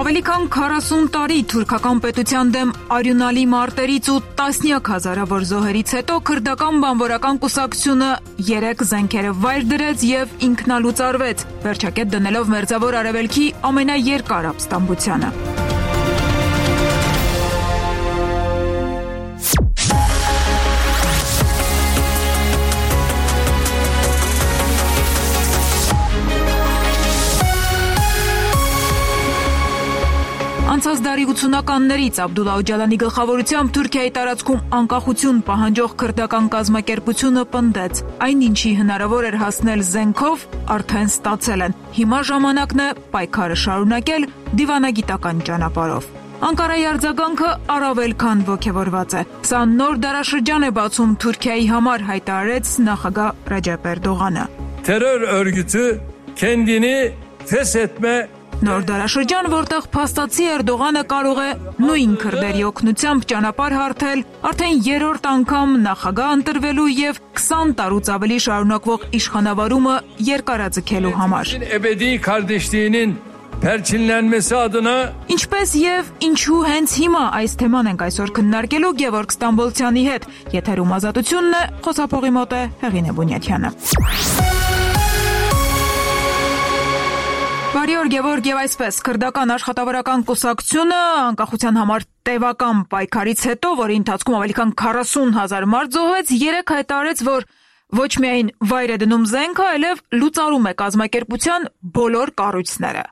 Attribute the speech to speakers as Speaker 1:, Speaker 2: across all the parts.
Speaker 1: Ավելի քան 40 տարի թուրքական պետության դեմ արյունալի մարտերից ու տասնյակ հազարավոր զոհերից հետո քրդական բանվորական կուսակցությունը 3 զենքերը վայր դրեց եւ ինքնալուծարվեց, վերջակետ դնելով Մերձավոր Արևելքի ամենաերկար ապստամբությանը։ Անցած դարի 80-ականներից Աբդուլլա Օջալանի գլխավորությամբ Թուրքիայի տարածքում անկախություն պահանջող քրդական կազմակերպությունը պնդեց. այն ինչի հնարավոր էր հասնել զենքով, արդեն ստացել են։ Հիմա ժամանակն է պայքարը շարունակել դիվանագիտական ճանապարհով։ Անկարայի արձագանքը առավել քան ոգևորված է։ Սա նոր դարաշրջան է բացում Թուրքիայի համար, հայտարարեց նախագահ Ռեջեփ Էրդողանը։
Speaker 2: Terör örgütü kendini feshetme
Speaker 1: Նոր դարաշրջան, որտեղ փաստացի Էրդողանը կարող է նույն քրդերի օգնությամբ ճանապարհ հարթել արդեն 3-րդ անգամ նախագահ ընտրվելու եւ 20 տարուց ավելի շարունակվող իշխանավարումը երկարաձգելու համար։
Speaker 2: Ebedi kardeşliğinin perçinlenmesi adına
Speaker 1: Ինչպես եւ ինչու հենց հիմա այս թեման ենք այսօր քննարկելու Գևորգ Ստամբոլցյանի հետ։ Եթերում ազատությունն է, խոսափողի մոտ է Հեղինե Բունյաթյանը։ Բարի օր, Գևորգ, եւ այսպես քրդական աշխատավարական կուսակցությունը անկախության համար տևական պայքարից հետո, որի ընթացքում ավելի քան 40,000 մարդ զոհվեց, 3 հայտարարեց, որ ոչ միայն վայր է դնում զենքը, այլև լուծարում է կազմակերպության բոլոր կառույցները։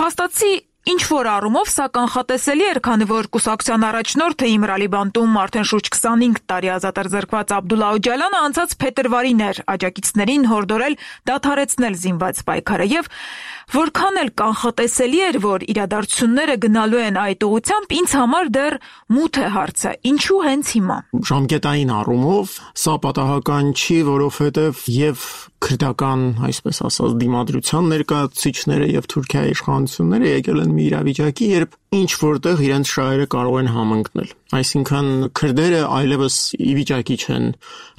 Speaker 1: Փաստացի ինչ որ առումով սա կանխատեսելի էր, քանի որ կուսակցության առաջնորդը Իմրալի Բանտում արդեն շուրջ 25 տարի ազատ էր զրկված Աբդուլլա Օջալանը անցած փետրվարին էր աջակիցներին հորդորել դադարեցնել զինված պայքարը եւ որքան էլ կանխատեսելի էր, որ իրադարձությունները գնալու են այդ ուղղությամբ, ինձ համար դեռ մութ է հարցը, ինչու հենց հիմա։
Speaker 3: Ժամկետային առումով սա պատահական չի, որովհետև եւ քրդական, այսպես ասած, դիմադրության ներկայացուցիչները եւ Թուրքիայի իշխանությունները եկել են մի իրավիճակի, երբ ինչ որտեղ իրենց շահերը կարող են համընկնել։ Այսինքն քրդերը այլևս ի վիճակի չեն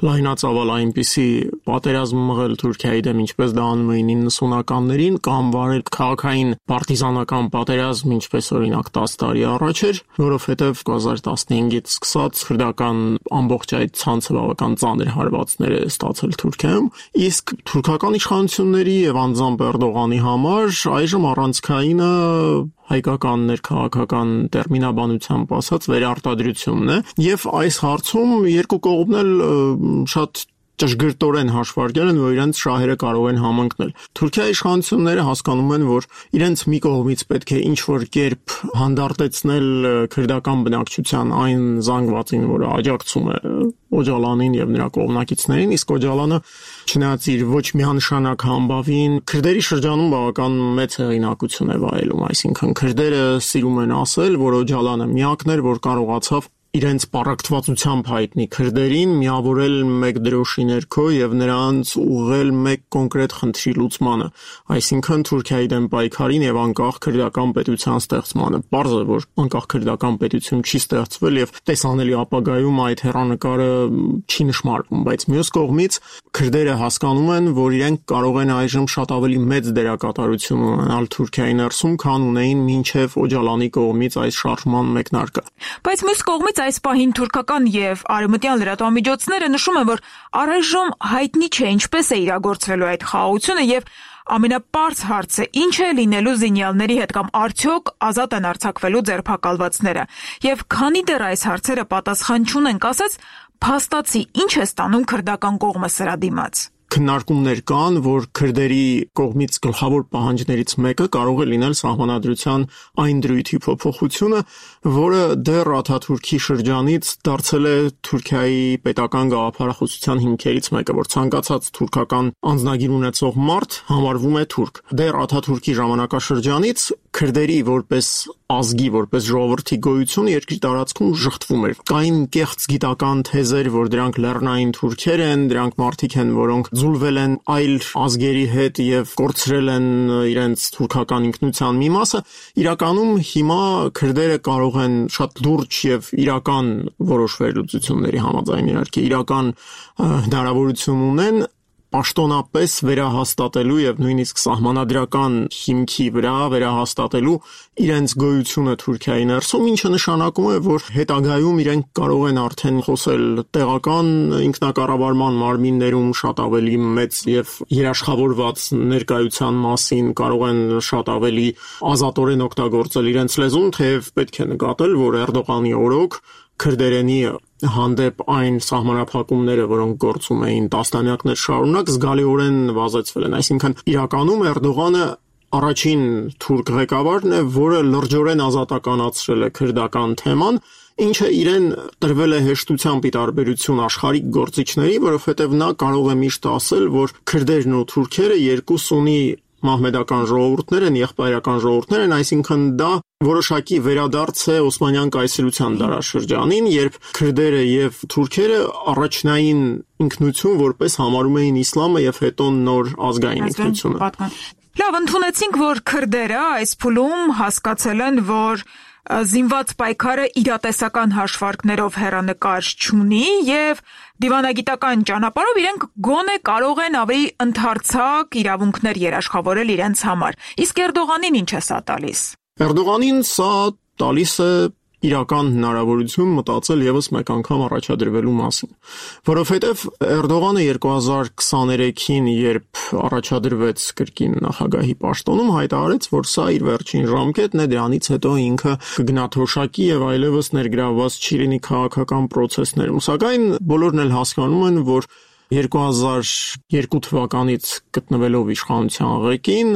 Speaker 3: լայնածավալ այնպիսի պատերազմ մղել Թուրքիայի դեմ, ինչպես դա անում էին 90-ականներին, կամ վարել քաղաքային պարտիզանական պատերազմ, ինչպես օրինակ 10 տարի առաջ էր, որովհետև 2015-ից սկսած քրդական ամբողջ այդ ցանցը բավական ծանր հարվածներ է ստացել Թուրքիայում, իսկ թուրքական իշխանությունների եւ անձամբ Էրդողանի համար այժմ առանցքայինը հայկական ներքաղաքական տերմինաբանությամբ ասած վերարտադրությունն է եւ այս հարցում երկու կողմն էլ շատ ճշգրտորեն հաշվարկել են, որ իրենց շահերը կարող են համընկնել։ Թուրքիայի իշխանությունները հասկանում են, որ իրենց մի կողմից պետք է ինչ-որ կերպ հանդարտեցնել քրդական բնակչության այն զանգվածին, որը աջակցում է Օջալանին եւ նրա կողմնակիցներին, իսկ Օջալանը չնայած իր ոչ միանշանակ համբավին քրդերի շրջանում բավական մեծ հեղինակություն է վայելում, այսինքն քրդերը սիրում են ասել, որ Օջալանը միակն էր, որ կարողացավ իրենց պարակտվածությամբ հայտնի քրդերին միավորել մեկ դրոշի ներքո եւ նրանց ուղղել մեկ կոնկրետ խնդրի լուծմանը, այսինքն Թուրքիայի դեմ պայքարին եւ անկախ քրդական պետության ստեղծմանը։ Պարզ է, որ անկախ քրդական պետություն չի ստեղծվել եւ տեսանելի ապագայում այդ հեռանկարը չի նշмарվում, բայց մյուս կողմից քրդերը հասկանում են, որ իրենք կարող են այժմ շատ ավելի մեծ դերակատարություն ունենալ Թուրքիայի ներսում, քան ունեին մինչեւ Օջալանի կողմից այս շարժման մեկնարկը։
Speaker 1: Բայց մյուս կողմից այս պահին թուրքական եւ արևմտյան լրատվամիջոցները նշում են, որ առայժմ հայտնի չէ ինչպես է իրագործվելու այդ խաղաղությունը եւ ամենապարզ հարցը ինչ է լինելու զինյալների հետ կամ արդյոք ազատ են արձակվելու ձերբակալվածները։ Եվ քանի դեռ այս հարցերը պատասխան չունեն, ասած փաստացի ինչ է ստանում քրդական կողմը սրա դիմաց։
Speaker 3: Քննարկումներ կան, որ քրդերի կողմից գլխավոր պահանջներից մեկը կարող է լինել սահմանադրության այն դրույթի փոփոխությունը, որը դեռ Աթաթուրքի շրջանից դարձել է Թուրքիայի պետական գաղափարախոսության հիմքերից մեկը, որ ցանկացած թուրքական անձնագիր ունեցող մարդ համարվում է թուրք։ Դեռ Աթաթուրքի ժամանակաշրջանից քրդերի որպես ազգի, որպես ժողովրդի գոյությունը երկրի տարածքում շղթվում էր։ Կային կեղծ գիտական թեզեր, որ դրանք լեռնային թուրքեր են, դրանք մարդիկ են, որոնք զուլվել են այլ ազգերի հետ եւ կորցրել են իրենց թուրքական ինքնության մի մասը։ Իրականում հիմա քրդերը կարող են շատ լուրջ եւ իրական որոշ վերլուծությունների համաձայն իհարկե իրական հնարավորություն ունեն պաշտոնապես վերահաստատելու եւ նույնիսկ սահմանադրական հիմքի վրա վերահաստատելու իրենց գոյությունը Թուրքիայի ներսում, ինչը նշանակում է, որ հետագայում իրենք կարող են արդեն խոսել տեղական ինքնակառավարման մարմիններում շատ ավելի մեծ եւ երաշխավորված ներկայության մասին, կարող են շատ ավելի ազատորեն օգտագործել իրենց լեզուն, թեև պետք է նկատել, որ Էրդողանի օրոք քրդերենի հանդեպ այն սահմանափակումները, որոնք գործում էին տասնամյակներ շարունակ, զգալիորեն վազեցվել են։ Այսինքն իրականում Էրդողանը առաջին թուրք ղեկավարն է, որը լրջորեն ազատականացրել է քրդական թեման, ինչը իրեն տրվել է հեշտությամբ ի տարբերություն աշխարհիկ գործիչների, որովհետև նա կարող է միշտ ասել, որ քրդերն ու թուրքերը երկուս ունի մահմեդական ժողովուրդներ են, եղբայրական ժողովուրդներ են, այսինքն դա որոշակի վերադարձ է Օսմանյան կայսրության դարաշրջանին, երբ քրդերը եւ թուրքերը առաջնային ինքնություն որպես համարում էին իսլամը եւ հետո նոր ազգային ինքնությունը։
Speaker 1: Լավ, ընդունեցինք, որ քրդերը այս փուլում հասկացել են, որ զինված պայքարը իրատեսական հաշվարկներով հեռանկար չունի եւ դիվանագիտական ճանապարհով իրենք գոնե կարող են ավելի ընդարձակ իրավունքներ երաշխավորել իրենց համար։ Իսկ Էրդողանին ինչ է սա տալիս։
Speaker 3: Էրդողանին սա տալիս է իրական հնարավորություն մտածել եւս մեկ անգամ առաջադրվելու մասին, որովհետեւ Էրդողանը 2023-ին, երբ առաջադրվեց կրկին նախագահի պաշտոնում, հայտարարեց, որ սա իր վերջին ժամկետն է, դրանից հետո ինքը կգնա թոշակի եւ այլևս ներգրավված չի լինի քաղաքական process-ներում, սակայն բոլորն էլ հասկանում են, որ 2002 թվականից գտնվելով իշխանության ղեկին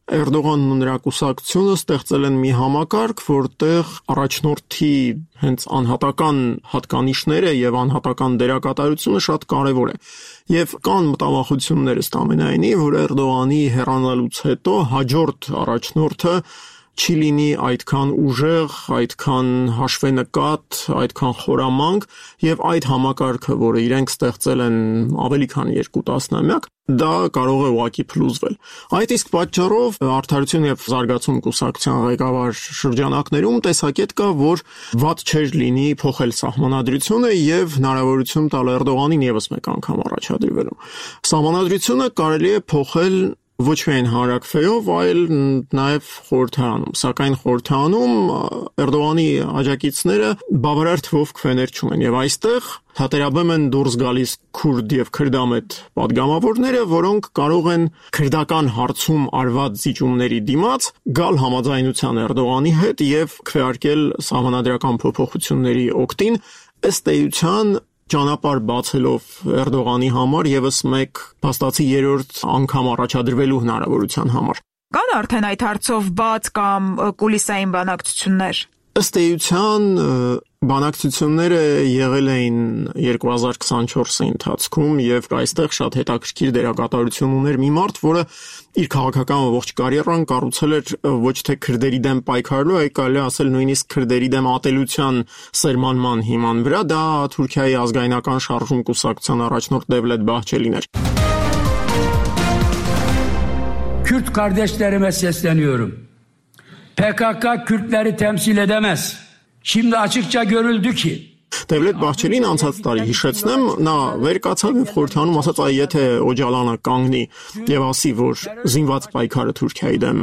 Speaker 3: Էրդողանն ու նրա կուսակցությունը ստեղծել են մի համակարգ, որտեղ առաջնորդի հենց անհատական հատկանիշները եւ անհատական դերակատարությունը շատ կարեւոր է։ Եվ կան մտավախություններ ըստ ամենայնի, որ Էրդողանի հեռանալուց հետո հաջորդ առաջնորդը չի լինի այդքան ուժեղ, այդքան հաշվենկատ, այդքան խորամանկ եւ այդ համակարգը, որը իրենք ստեղծել են ավելի քան 2 տասնամյակ, դա կարող է ուղղակի փլուզվել։ Այդ իսկ պատճառով Արդարություն եւ Զարգացում կուսակցության ղեկավար շրջանակներում տեսակետ կա, որ վատ չէր լինի փոխել սահմանադրությունը եւ հնարավորություն տալ Էրդողանին եւս մեկ անգամ առաջադրվելու։ Սահմանադրությունը կարելի է փոխել ոչ միայն հանրակրվեով, այլ նաև խորհրդարանում, սակայն խորհրդարանում Էրդողանի աջակիցները բավարար թվով քվեներ չունեն եւ այստեղ հատերաբեմ են դուրս գալիս քուրդ եւ քրդամետ падգամավորները, որոնք կարող են քրդական հարցում արված զիջումների դիմաց գալ համաձայնության Էրդողանի հետ եւ քվեարկել սահմանադրական փոփոխությունների օգտին, ըստ էության ճանապարհ բացելով Էրդողանի համար եւս մեկ փաստացի երրորդ անգամ առաջադրվելու հնարավորության համար։
Speaker 1: Կան արդեն այդ հարցով բաց կամ կուլիսային բանակցություններ։
Speaker 3: Ըստ էության բանակցությունները եղել էին 2024-ի ընթացքում եւ այստեղ շատ հետաքրքիր դերակատարություն ուներ մի մարդ, որը իր քաղաքական ողջ կարիերան կառուցել էր ոչ թե քրդերի դեմ պայքարելու, այլ կարելի ասել նույնիսկ քրդերի դեմ ատելության սերմանման հիման վրա, դա Թուրքիայի ազգայնական շարժում կուսակցության առաջնորդ Devlet Bahçeli'nin էր։
Speaker 4: Kürt kardeşlerime sesleniyorum. PKK Kürtleri temsil edemez. Şimdi açıkça görüldü ki
Speaker 3: Devlet Bahçeli'nin անցած տարի հիշեցնեմ, նա վեր կացավ եւ խորհրդանում ասաց, այ եթե Օջալանը կանգնի եւ ասի, որ զինված պայքարը Թուրքիայի դեմ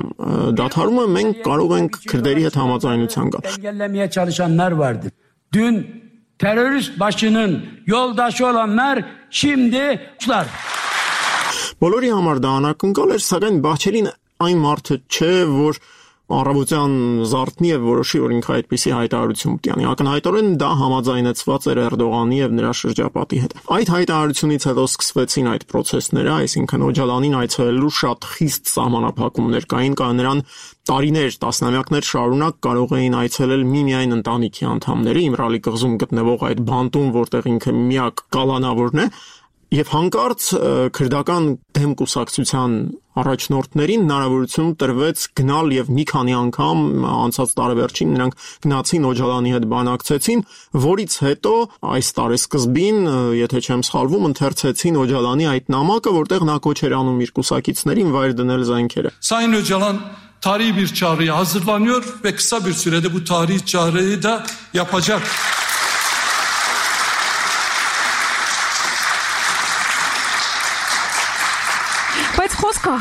Speaker 3: դադարում է, մենք կարող ենք քրդերի հետ համաձայնության գալ։
Speaker 4: Engellemeye çalışanlar vardı. Dün terörist başının yoldaşı olanlar şimdi uçlar.
Speaker 3: Բոլորի համար դա անակնկալ էր, սակայն Բախչելին այն մարդը չէ, որ առավոտյան զարթնի եւ որոշի, որ ինքը այդպիսի հայտարարություն պետք է անի։ Ակնհայտորեն դա համաձայնեցված էր Էրդողանի եւ նրա շրջապատի հետ։ Այդ հայտարարությունից հետո սկսվեցին այդ process-ները, այսինքն Օջալանին այցելելու շատ խիստ սահմանափակումներ կային, կա նրան տարիներ, տասնամյակներ շարունակ կարող էին այցելել միմիայն ընտանիքի անդամները, Իմրալի կղզում գտնվող այդ բանտում, որտեղ ինքը միակ կալանավորն է, եւ հանկարծ քրդական դեմ կուսակցության առաջնորդներին հնարավորություն տրվեց գնալ եւ մի քանի անգամ անցած տարեվերջին նրանք գնացին Օջալանի հետ բանակցեցին, որից հետո այս տարեսկզբին, եթե չեմ սխալվում, ընթերցեցին Օջալանի այդ նամակը, որտեղ նա կոչ էր անում իր կուսակիցներին վայր դնել զենքերը։
Speaker 5: Sayın Öcalan tarihi bir çağrıya hazırlanıyor ve kısa bir sürede bu tarihi çağrıyı da yapacak.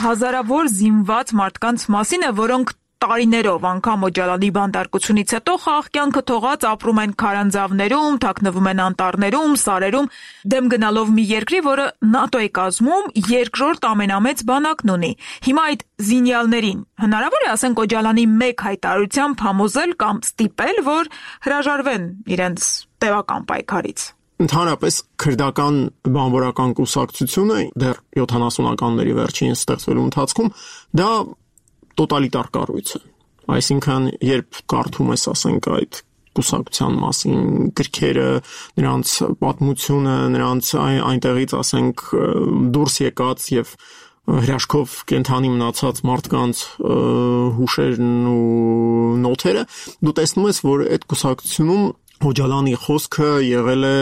Speaker 1: հազարավոր զինված մարդկանց մասին է, որոնք տարիներով անգամ Օջալանի բանտարկությունից հետո խաղ կյանքը թողած ապրում են քարանձավներում, թաքնվում են անտառներում, սարերում, դեմ գնալով մի երկրի, որը ՆԱՏՕ-ի կազմում երկրորդ ամենամեծ բանակն ունի։ Հիմա այդ զինյալներին հնարավոր է, ասենք, Օջալանի մեկ հայտարարությամբ համոզել կամ ստիպել, որ հրաժարվեն իրենց տևական պայքարից։
Speaker 3: Ընդհանրապես քրդական բանվորական կուսակցությունը դեռ 70-ականների վերջին ստեղծվելու ընթացքում դա տոտալիտար կառույց է։ Այսինքն, երբ կարդում ես, ասենք, այդ կուսակցության մասին գրքերը, նրանց պատմությունը, նրանց այնտեղից, ասենք, դուրս եկած եւ հրաշքով կենթանի մնացած մարդկանց հուշերն ու նոթերը, դու տեսնում ես, որ այդ կուսակցությունում Օջալանի խոսքը եղել է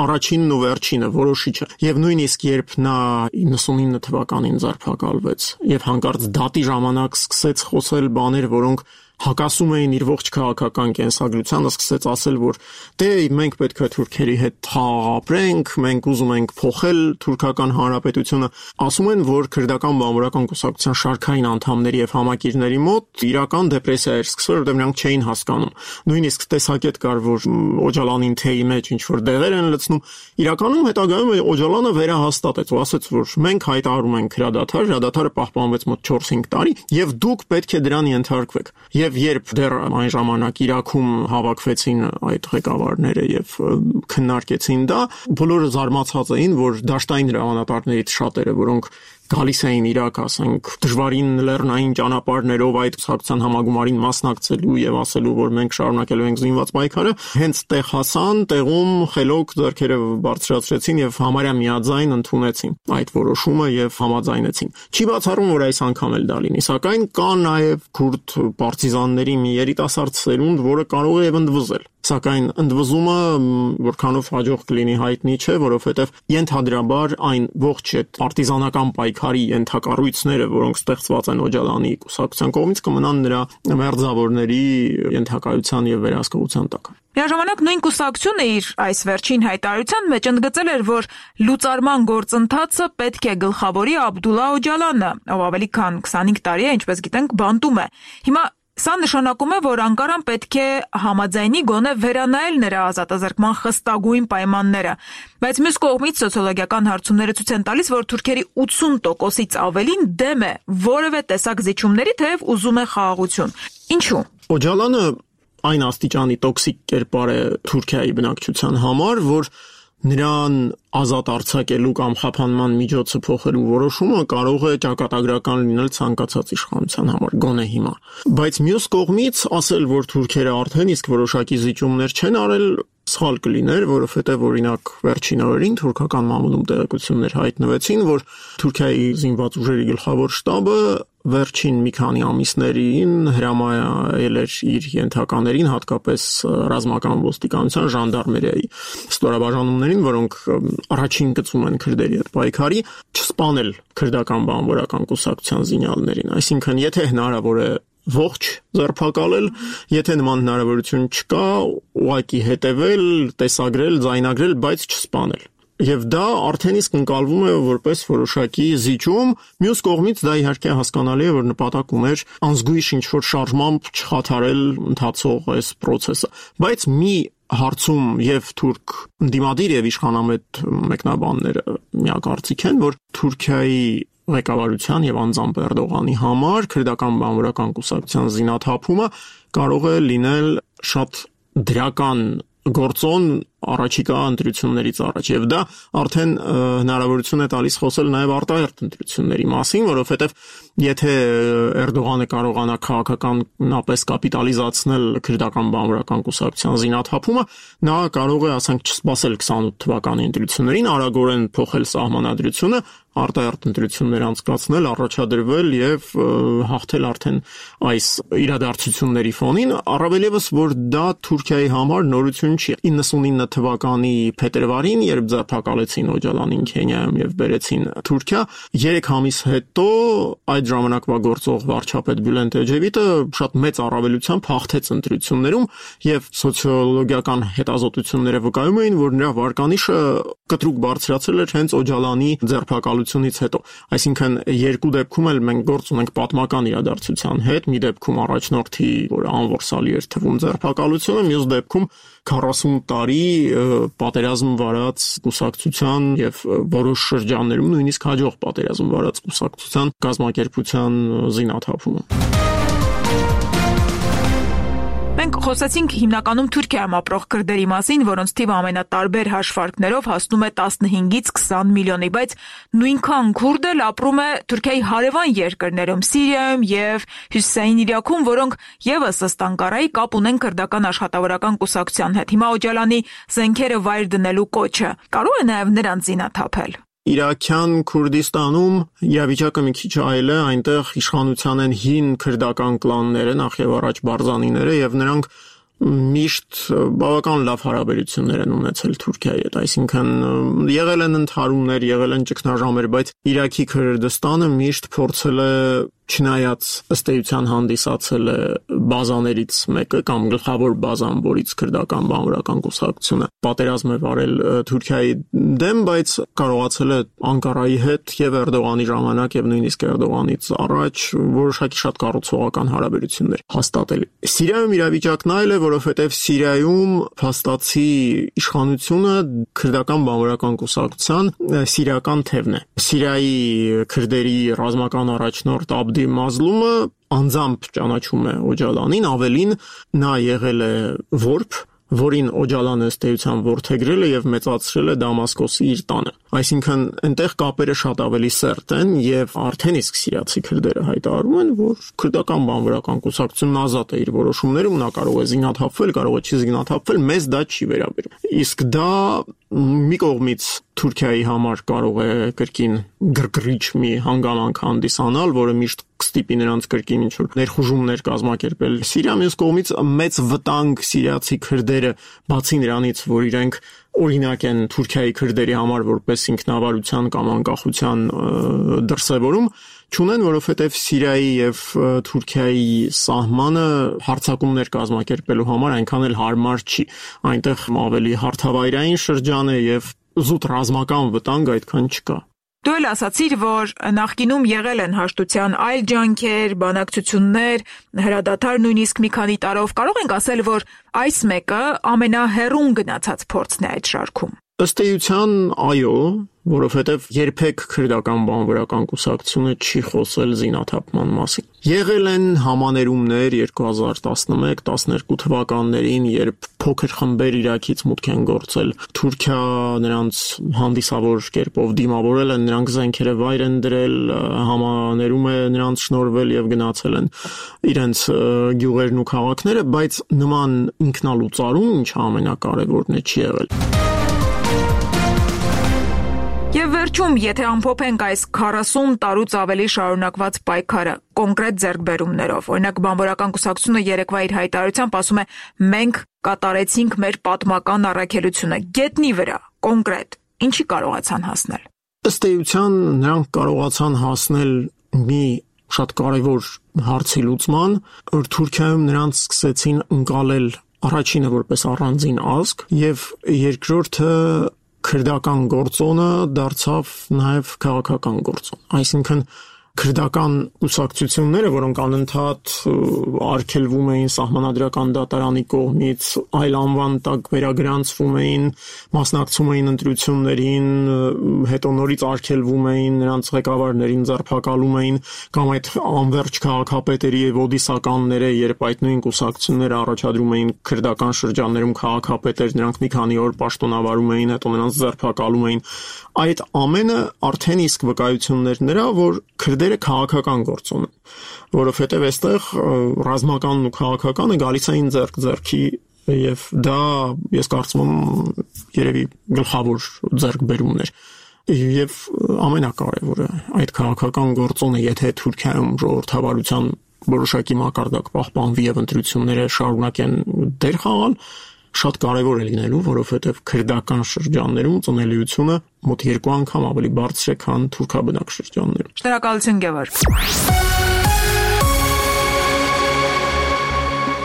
Speaker 3: առաջինն ու վերջինը, որոշիչը։ Եվ նույնիսկ երբ նա 99 թվականին ձերբակալվեց եւ հանկարծ դատի ժամանակ սկսեց խոսել բաներ, որոնք հակասում էին իր ողջ քաղաքական կենսագրությանը, սկսեց ասել, որ դե մենք պետք է թուրքերի հետ թաղ ապրենք, մենք ուզում ենք փոխել թուրքական հանրապետությունը, ասում են, որ քրդական բանվորական կուսակցության շարքային անդամների եւ համակիրների մոտ իրական դեպրեսիա էր սկսվել, որտեղ նրանք չէին հասկանում։ Նույնիսկ տեսակետ կար, որ Օջալանին թեյի մեջ ինչ որ դեղեր են լցնում։ Իրականում հետագայում Օջալանը վերահաստատեց ու ասաց, որ մենք հայտարարում ենք հրադադարը պահպանվեց մոտ 4-5 տարի եւ դուք պետք է դրան ենթարկվեք։ Եվ երբ դեռ այն ժամանակ Իրաքում հավաքվեցին այդ ղեկավարները եւ քննարկեցին դա, բոլորը զարմացած էին, որ դաշտային հրամանատարներից շատերը, որոնք գալիս էին Իրաք, ասենք, դժվարին լեռնային ճանապարհներով այդ կուսակցության համագումարին մասնակցելու եւ ասելու, որ մենք շարունակելու ենք զինված պայքարը, հենց տեղ հասան, տեղում խելոք ձեռքերը բարձրացրեցին եւ համարյա միաձայն ընդունեցին այդ որոշումը եւ համաձայնեցին։ Չի բացառում, որ այս անգամ էլ դա լինի, սակայն կա նաեւ քուրդ պարտիզանների մի երիտասարդ սերունդ, որը կարող է եւ ընդվզել։ Սակայն ընդվզումը որքանով հաջող կլինի հայտնի չէ, որովհետև ենթադրաբար այն ողջ այդ պարտիզանական պայքարի ենթակառույցները, որոնք ստեղծված են Օջալանի կուսակցության կողմից, կմնան նրա մերձավորների ենթակայության եւ վերահսկողության տակ։
Speaker 1: Միաժամանակ նույն կուսակցությունը իր այս վերջին հայտարարության մեջ ընդգծել էր, որ լուծարման գործընթացը պետք է գլխավորի Աբդուլլա Օջալանը, ով ավելի քան 25 տարի է, ինչպես գիտենք, բանտում է։ Հիմա սա նշանակում է, որ Անկարան պետք է համաձայնի գոնե վերանայել նրա ազատազրկման խստագույն պայմանները, բայց մյուս կողմից սոցիոլոգիական հարցումները ցույց են տալիս, որ թուրքերի 80%-ից ավելին դեմ է որևէ տեսակ զիջումների, թեև ուզում է խաղաղություն։ Ինչու՞։
Speaker 3: Օջալանը այն աստիճանի տոքսիկ կերպար է Թուրքիայի բնակչության համար, որ նրան ազատ արձակելու կամ խափանման միջոցը փոխելու որոշումը կարող է ճակատագրական լինել ցանկացած իշխանության համար, գոնե հիմա։ Բայց մյուս կողմից ասել, որ թուրքերը արդեն իսկ որոշակի զիջումներ չեն արել, սխալ կլիներ, որովհետև օրինակ վերջին օրերին թուրքական մամուլում տեղեկություններ հայտնվեցին, որ Թուրքիայի զինված ուժերի գլխավոր շտաբը վերջին մի քանի ամիսներին հրամայել էր իր ենթականերին, հատկապես ռազմական ոստիկանության ժանդարմերիայի ստորաբաժանումներին, որոնք առաջին գծում են քրդերի հետ պայքարի, չսպանել քրդական բանվորական կուսակցության զինյալներին։ Այսինքն, եթե հնարավոր է ողջ ձերբակալել, եթե նման հնարավորություն չկա, ուղղակի հետևել, տեսագրել, ձայնագրել, բայց չսպանել։ Եվ դա արդեն իսկ ընկալվում է որպես որոշակի զիջում, մյուս կողմից դա իհարկե հասկանալի է, որ նպատակ ուներ անզգույշ ինչ-որ շարժմամբ չխաթարել ընթացող այս process-ը։ Բայց մի հարցում եւ թուրք ընդդիմադիր եւ իշխանամետ մեկնաբանները միակարծիք են, որ Թուրքիայի ղեկավարության եւ անձամբ Էրդողանի համար քրդական բանվորական կուսակցության զինաթափումը կարող է լինել շատ դրական գործոն առաջիկա ընտրություններից առաջ եւ դա արդեն հնարավորություն է տալիս խոսել նաեւ արտահերթ ընտրությունների մասին, որովհետեւ եթե Էրդողանը կարողանա քաղաքականապես կապիտալիզացնել քրդական բանվորական կուսակցության զինաթափումը, նա կարող է, ասենք, չսպասել 28 թվականի ընտրություններին, արագորեն փոխել սահմանադրությունը, արտահերթ ընտրություններ անցկացնել, առաջադրվել եւ հաղթել արդեն այս իրադարձությունների ֆոնին, առավել եւս որ դա Թուրքիայի համար նորություն չի։ 99 թվականի փետրվարին, երբ ձերբակալեցին Օջալանին Քենիայում եւ բերեցին Թուրքիա, 3 ամիս հետո այդ ժամանակվա գործող վարչապետ Բյուլենտ Էջևիտը շատ մեծ առավելությամբ հաղթեց ընտրություններում եւ սոցիոլոգիական հետազոտությունները վկայում էին, որ նրա վարկանիշը կտրուկ բարձրացել էր հենց Օջալանի ձերբակալության փակալությունից հետո։ Այսինքն երկու դեպքում էլ մենք գործ ունենք պատմական իրադարձության հետ, մի դեպքում առաջնորդի, որ անորսալի էր թվում ձերբակալությունը, մյուս դեպքում 40 տարի պատերազմ վարած կուսակցության եւ որոշ շրջաններում նույնիսկ հաջող պատերազմ վարած կուսակցության կազմակերպության զինաթափումը։
Speaker 1: Մենք խոսեցինք հիմնականում Թուրքիայում ապրող քրդերի մասին, որոնց թիվը ամենատարբեր հաշվարկներով հասնում է 15-ից 20 միլիոնի, բայց նույնքան քուրդ էլ ապրում է Թուրքիայի հարևան երկրներում, Սիրիայում եւ Հյուսիսային Իրաքում, որոնք եւս ըստ Անկարայի կապ ունեն քրդական աշխատավորական կուսակցության հետ։ Հիմա Օջալանի զենքերը վայր դնելու կոչը կարող է նաեւ նրանց զինաթափել։
Speaker 3: Իրաքյան Քուրդիստանում իրավիճակը մի քիչ այլ է, այնտեղ իշխանության են հին քրդական կլանները, նախ եւ առաջ Բարզանիները, եւ նրանք միշտ բավական լավ հարաբերություններ են ունեցել Թուրքիայի հետ, այսինքն եղել են ընդհարումներ, եղել են ճգնաժամեր, բայց Իրաքի Քրդստանը միշտ փորձել է չնայած ըստ էության հանդիսացել է բազաներից մեկը կամ գլխավոր բազան, որից քրդական բանվորական կուսակցությունը պատերազմ է վարել Թուրքիայի դեմ, բայց կարողացել է Անկարայի հետ եւ Էրդողանի ժամանակ եւ նույնիսկ Էրդողանից առաջ որոշակի շատ կառուցողական հարաբերություններ հաստատել։ Սիրիայում իրավիճակն այլ է, որովհետեւ Սիրիայում փաստացի իշխանությունը քրդական բանվորական կուսակցության սիրիական թևն է։ Սիրիայի քրդերի ռազմական առաջնորդ Աբդի Մազլումը անձամբ ճանաչում է Օջալանին, ավելին նա եղել է որբ, որին Օջալանը ըստ էության որդեգրել է եւ մեծացրել է Դամասկոսի իր տանը։ Այսինքն այնտեղ կապերը շատ ավելի սերտ են եւ արդեն իսկ սիրիացի քրդերը հայտարարում են, որ քրդական բանվորական կուսակցությունն ազատ է իր որոշումներում, նա կարող է զինաթափվել, կարող է չի զինաթափվել, մեզ դա չի վերաբերում։ Իսկ դա մի կողմից Թուրքիայի համար կարող է կրկին գրգռիչ մի հանգամանք հանդիսանալ, որը միշտ կստիպի նրանց կրկին ինչ-որ ներխուժումներ կազմակերպել Սիրիա, մյուս կողմից մեծ վտանգ սիրիացի քրդերը, բացի նրանից, որ իրենք օրինակ են Թուրքիայի քրդերի համար որպես ինքնավարության կամ անկախության դրսևորում, չունեն, որովհետև Սիրիայի եւ Թուրքիայի սահմանը հարձակումներ կազմակերպելու համար այնքան էլ հարմար չի։ Այնտեղ ավելի հարթավայրային շրջան է եւ զուտ ռազմական վտանգ այդքան չկա։
Speaker 1: Դու էլ ասացիր, որ նախկինում եղել են հաշտության այլ ջանքեր, բանակցություններ, հրադադար նույնիսկ մի քանի տարով։ Կարող ենք ասել, որ այս մեկը ամենահեռուն գնացած փորձն է այդ շարքում։
Speaker 3: Ըստ էության, այո, որովհետև երբեք քրդական բանվորական կուսակցությունը չի խոսել զինաթափման մասին։ Եղել են համաներումներ 2011-12 թվականներին, երբ փոքր խմբեր Իրաքից մուտք են գործել Թուրքիա, նրանց հանդիսավոր կերպով դիմավորել են, նրանք զենքերը վայր են դրել, համաներում է նրանց շնորհվել եւ գնացել են իրենց գյուղերն ու քաղաքները, բայց նման ինքնալուծարում, ինչը ամենակարևորն է, չի եղել։
Speaker 1: Եվ վերջում, եթե ամփոփենք այս 40 տարուց ավելի շարունակված պայքարը կոնկրետ ձեռքբերումներով, օրինակ բանվորական կուսակցությունը երեկվա իր հայտարարությամբ ասում է մենք կատարեցինք մեր պատմական առաքելությունը, գետնի վրա, կոնկրետ, ինչի կարողացան հասնել։
Speaker 3: Ըստ էության նրանք կարողացան հասնել մի շատ կարևոր հարցի լուծման, որ Թուրքիայում նրանց սկսեցին ընկալել առաջինը որպես առանձին ազգ եւ երկրորդը քրդական գործոնը դարձավ նաև քաղաքական գործոն։ Այսինքն քրդական կուսակցությունները, որոնք անընդհատ արգելվում էին սահմանադրական դատարանի կողմից, այլ անվան տակ վերագրանցվում էին, մասնակցում էին ընտրություններին, հետո նորից արգելվում էին, նրանց ղեկավարներին ձերբակալում էին, կամ այդ անվերջ քաղաքապետերի եւ ոդիսականները, երբ այդ նույն կուսակցությունները առաջադրում էին քրդական շրջաններում քաղաքապետեր, նրանք մի քանի օր պաշտոնավարում էին, հետո նրանց ձերբակալում էին։ Այդ ամենը արդեն իսկ վկայություններ նրա, որ քրդերը քաղաքական գործոն են, որովհետև այստեղ ռազմականն ու քաղաքականը գալիս էին ձեռք-ձեռքի եւ դա ես կարծում եմ երևի գլխավոր ձեռքբերումներ եւ ամենակարևորը այդ քաղաքական գործոնը, եթե Թուրքիայում ժողովրդավարության որոշակի մակարդակ պահպանվի եւ ընտրությունները շարունակեն դեր խաղալ, շատ կարևոր է լինելու, որովհետև քրդական շրջաններում ծնելիությունը մոտ 2 անգամ ավելի բարձր է, քան թուրքաբնակ շրջաններում։
Speaker 1: Շնորհակալություն, Գևորգ։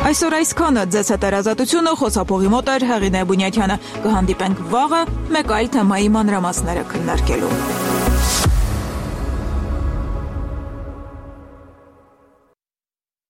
Speaker 1: Այսօր այսքանը ձեզ հետազոտությունը խոսափողի մոտ էր Հեղինե Բունյաթյանը։ Կհանդիպենք վաղը մեկ այլ թեմայի մանրամասները քննարկելու։